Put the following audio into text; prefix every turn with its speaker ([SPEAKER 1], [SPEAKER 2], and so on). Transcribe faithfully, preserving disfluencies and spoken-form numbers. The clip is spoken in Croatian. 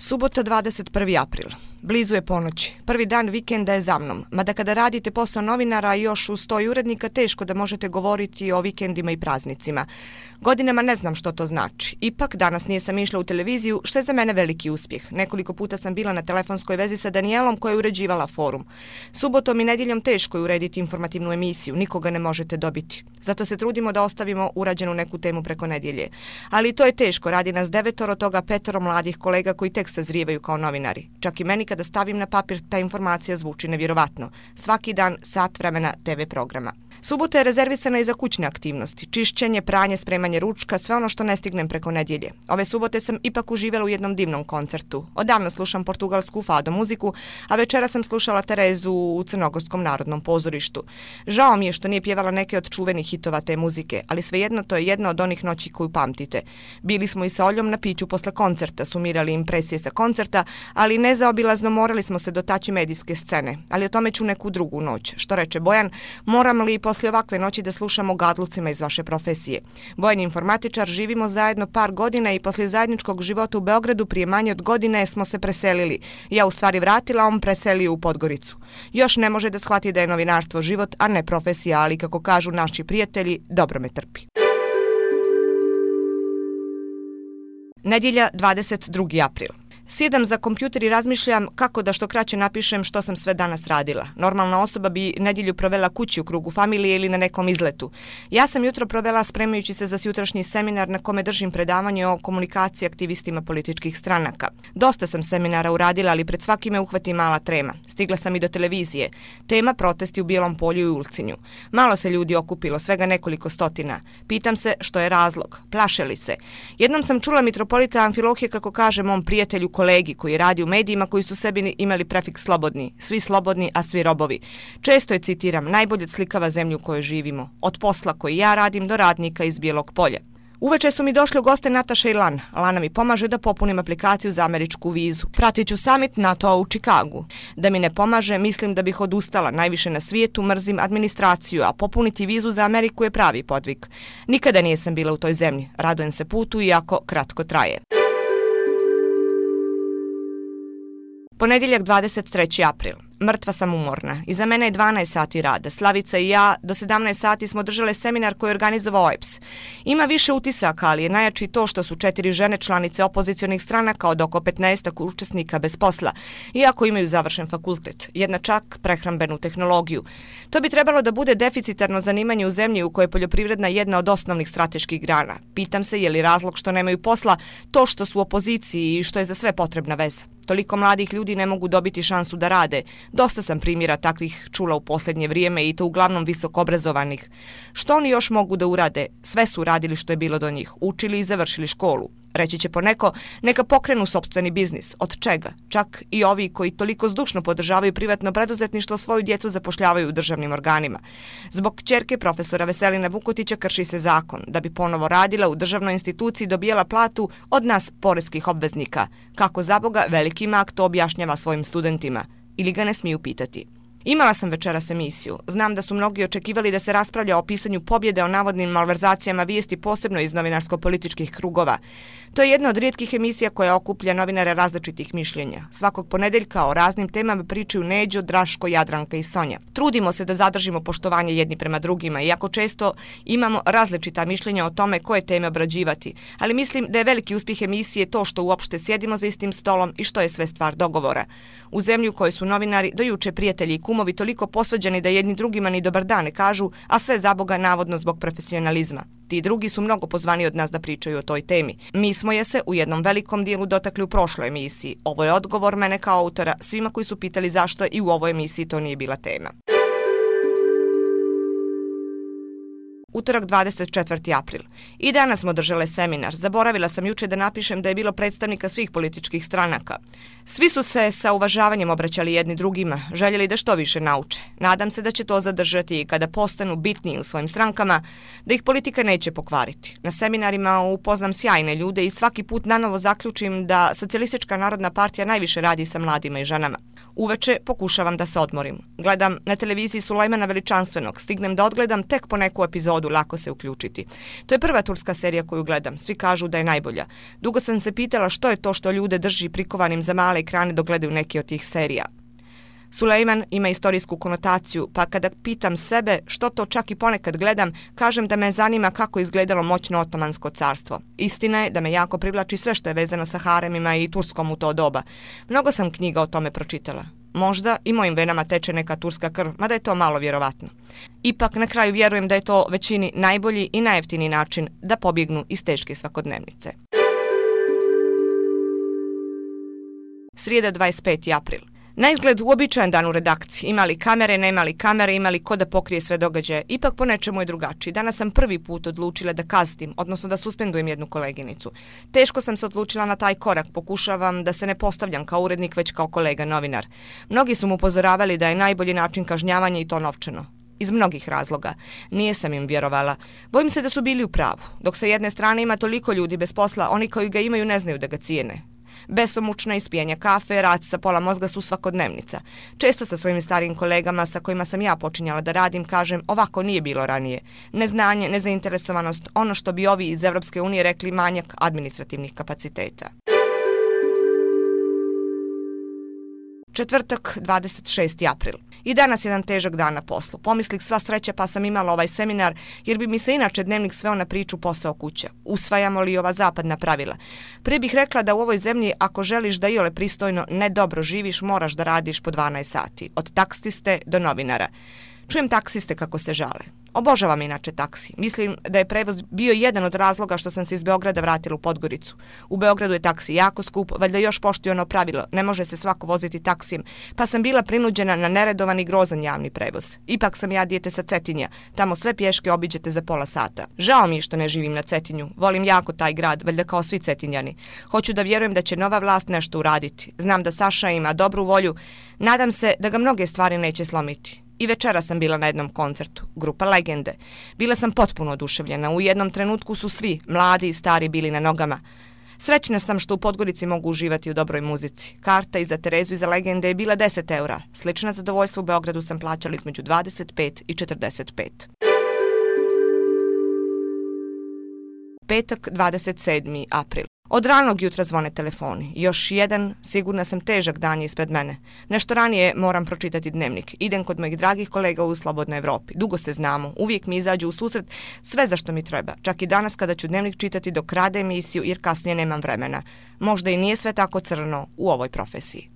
[SPEAKER 1] Subota dvadeset prvi april. Blizu je ponoć. Prvi dan vikenda je za mnom. Mada kada radite posao novinara još uz sto urednika, teško da možete govoriti o vikendima i praznicima. Godinama ne znam što to znači. Ipak, danas nisam išla u televiziju, što je za mene veliki uspjeh. Nekoliko puta sam bila na telefonskoj vezi sa Danijelom koja je uređivala forum. Subotom i nedjeljom teško je urediti informativnu emisiju, nikoga ne možete dobiti. Zato se trudimo da ostavimo urađenu neku temu preko nedjelje. Ali to je teško, radi nas devetoro, toga petoro mladih kolega koji tek sazrijevaju kao novinari. Čak i meni kada stavim na papir, ta informacija zvuči nevjerovatno. Svaki dan sat vremena te ve programa. Subota je rezervisana i za kućne aktivnosti, čišćenje, pranje, spremanje ručka, sve ono što ne stignem preko nedjelje. Ove subote sam ipak uživala u jednom divnom koncertu. Odavno slušam portugalsku fado muziku, a večera sam slušala Terezu u Crnogorskom narodnom pozorištu. Žao mi je što nije pjevala neke od čuvenih hitova te muzike, ali svejedno to je jedna od onih noći koju pamtite. Bili smo i sa Oljom na piću posle koncerta, sumirali impresije sa koncerta, ali nezaobilazno morali smo se dotaći medijske scene. Ali o tome ću neku drugu noć. Što reče Bojan, moram li poslije ovakve noći da slušamo gadlucima iz vaše profesije. Bojan je informatičar, živimo zajedno par godina i poslije zajedničkog života u Beogradu prije manje od godine smo se preselili. Ja u stvari vratila, on preselio u Podgoricu. Još ne može da shvati da je novinarstvo život, a ne profesija, ali kako kažu naši prijatelji, dobro me trpi. Nedjelja, dvadeset drugi april. Sjedam za kompjuter i razmišljam kako da što kraće napišem što sam sve danas radila. Normalna osoba bi nedjelju provela kući u krugu familije ili na nekom izletu. Ja sam jutro provela spremajući se za sutrašnji seminar na kome držim predavanje o komunikaciji aktivistima političkih stranaka. Dosta sam seminara uradila, ali pred svakime uhvati mala trema. Stigla sam i do televizije. Tema protesti u Bijelom polju i Ulcinju. Malo se ljudi okupilo, svega nekoliko stotina. Pitam se što je razlog. Plaše li se? Jednom sam čula mitropolita Amfilohije kako kaže mom prijatelju kolegi koji radi u medijima koji su sebi imali prefiks slobodni, svi slobodni, a svi robovi. Često je citiram, najbolje slikava zemlju u kojoj živimo, od posla koji ja radim do radnika iz Bijelog polja. Uveče su mi došli u goste Nataša i Lan. Lana mi pomaže da popunim aplikaciju za američku vizu. Pratit ću summit NATO u Čikagu. Da mi ne pomaže, mislim da bih odustala. Najviše na svijetu mrzim administraciju, a popuniti vizu za Ameriku je pravi podvig. Nikada nisam bila u toj zemlji. Radujem se putu, iako kratko traje. Ponedjeljak, dvadeset treći april. Mrtva sam umorna. Iza mene je dvanaest sati rada. Slavica i ja do sedamnaest sati smo držale seminar koji je organizovao O E P S. Ima više utisaka, ali je najjači to što su četiri žene članice opozicionih stranaka od oko petnaestak učesnika bez posla, iako imaju završen fakultet. Jedna čak prehrambenu tehnologiju. To bi trebalo da bude deficitarno zanimanje u zemlji u kojoj je poljoprivredna jedna od osnovnih strateških grana. Pitam se je li razlog što nemaju posla to što su u opoziciji i što je za sve potrebna veza. Toliko mladih ljudi ne mogu dobiti šansu da rade. Dosta sam primjera takvih čula u posljednje vrijeme i to uglavnom visoko obrazovanih. Što oni još mogu da urade? Sve su uradili što je bilo do njih. Učili i završili školu. Reći će poneko, neka pokrenu sopstveni biznis. Od čega? Čak i ovi koji toliko zdušno podržavaju privatno preduzetništvo svoju djecu zapošljavaju u državnim organima. Zbog kćerke profesora Veselina Vukotića krši se zakon. Da bi ponovo radila u državnoj instituciji dobijala platu od nas poreskih obveznika. Kako zaboga veliki mak to objašnjava svojim studentima. Ili ga ne smiju pitati. Imala sam večeras emisiju. Znam da su mnogi očekivali da se raspravlja o pisanju pobjede o navodnim malverzacijama vijesti, posebno iz novinarsko-političkih krugova. To je jedna od rijetkih emisija koja okuplja novinare različitih mišljenja. Svakog ponedjeljka o raznim temama pričaju Neđo, Draško, Jadranka i Sonja. Trudimo se da zadržimo poštovanje jedni prema drugima, iako često imamo različita mišljenja o tome koje teme obrađivati. Ali mislim da je veliki uspjeh emisije to što uopšte sjedimo za istim stolom i što je sve stvar dogovora. U zemlji u kojoj su novinari do juče prijatelji i kumovi toliko posvađani da jedni drugima ni dobar dan ne kažu, a sve zaboga navodno zbog profesionalizma. Ti drugi su mnogo pozvani od nas da pričaju o toj temi. Mi smo je se u jednom velikom dijelu dotakli u prošloj emisiji. Ovo je odgovor mene kao autora svima koji su pitali zašto i u ovoj emisiji to nije bila tema. Utorak, dvadeset četvrti april. I danas smo držale seminar. Zaboravila sam juče da napišem da je bilo predstavnika svih političkih stranaka. Svi su se sa uvažavanjem obraćali jedni drugima, željeli da što više nauče. Nadam se da će to zadržati i kada postanu bitniji u svojim strankama, da ih politika neće pokvariti. Na seminarima upoznam sjajne ljude i svaki put nanovo zaključim da Socijalistička narodna partija najviše radi sa mladima i ženama. Uveče pokušavam da se odmorim. Gledam na televiziji Sulejmana Veličanstvenog, stignem da odgledam tek po neku epizodu, lako se uključiti. To je prva turska serija koju gledam, svi kažu da je najbolja. Dugo sam se pitala što je to što ljude drži prikovanim za male ekrane dok gledaju neke od tih serija. Sulejman ima istorijsku konotaciju, pa kada pitam sebe što to čak i ponekad gledam, kažem da me zanima kako je izgledalo moćno Otomansko carstvo. Istina je da me jako privlači sve što je vezano sa haremima i Turskom u to doba. Mnogo sam knjiga o tome pročitala. Možda i mojim venama teče neka turska krv, mada je to malo vjerovatno. Ipak na kraju vjerujem da je to većini najbolji i najjeftiniji način da pobjegnu iz teške svakodnevnice. Srijeda dvadeset peti april. Na izgled uobičajen dan u redakciji. Imali kamere, nemali kamere, imali ko da pokrije sve događaje. Ipak po nečemu je drugačiji. Danas sam prvi put odlučila da kaznim, odnosno da suspendujem jednu koleginicu. Teško sam se odlučila na taj korak. Pokušavam da se ne postavljam kao urednik, već kao kolega novinar. Mnogi su mu upozoravali da je najbolji način kažnjavanja i to novčano. Iz mnogih razloga. Nije sam im vjerovala. Bojim se da su bili u pravu. Dok sa jedne strane ima toliko ljudi bez posla, oni koji ga imaju ne znaju da ga cijene. Besomučna ispijanja kafe, rad sa pola mozga su svakodnevnica. Često sa svojim starijim kolegama sa kojima sam ja počinjala da radim kažem ovako nije bilo ranije. Neznanje, nezainteresovanost, ono što bi ovi iz Evropske unije rekli manjak administrativnih kapaciteta. Četvrtak, dvadeset šesti april. I danas jedan težak dan na poslu. Pomislih sva sreća pa sam imala ovaj seminar jer bi mi se inače dnevnik sveo na priču posao kuća. Usvajamo li ova zapadna pravila? Prije bih rekla da u ovoj zemlji ako želiš da iole pristojno ne dobro živiš moraš da radiš po dvanaest sati. Od taksiste do novinara. Čujem taksiste kako se žale. Obožavam inače taksi. Mislim da je prevoz bio jedan od razloga što sam se iz Beograda vratila u Podgoricu. U Beogradu je taksi jako skup, valjda još poštuju ono pravilo, ne može se svako voziti taksijem, pa sam bila prinuđena na neredovan i grozan javni prevoz. Ipak sam ja dijete sa Cetinja, tamo sve pješke obiđete za pola sata. Žao mi je što ne živim na Cetinju, volim jako taj grad, valjda kao svi Cetinjani. Hoću da vjerujem da će nova vlast nešto uraditi. Znam da Saša ima dobru volju, nadam se da ga mnoge stvari neće slomiti. I večera sam bila na jednom koncertu, grupa Legende. Bila sam potpuno oduševljena, u jednom trenutku su svi, mladi i stari, bili na nogama. Srećna sam što u Podgorici mogu uživati u dobroj muzici. Karta i za Terezu i za Legende je bila deset eura. Slična zadovoljstva u Beogradu sam plaćala između dvadeset pet i četrdeset pet. Petak, dvadeset sedmi april. Od ranog jutra zvone telefoni. Još jedan, sigurna sam, težak dan je ispred mene. Nešto ranije moram pročitati dnevnik. Idem kod mojih dragih kolega u Slobodnoj Evropi. Dugo se znamo, uvijek mi izađu u susret sve za što mi treba. Čak i danas kada ću dnevnik čitati dok rade emisiju jer kasnije nemam vremena. Možda i nije sve tako crno u ovoj profesiji.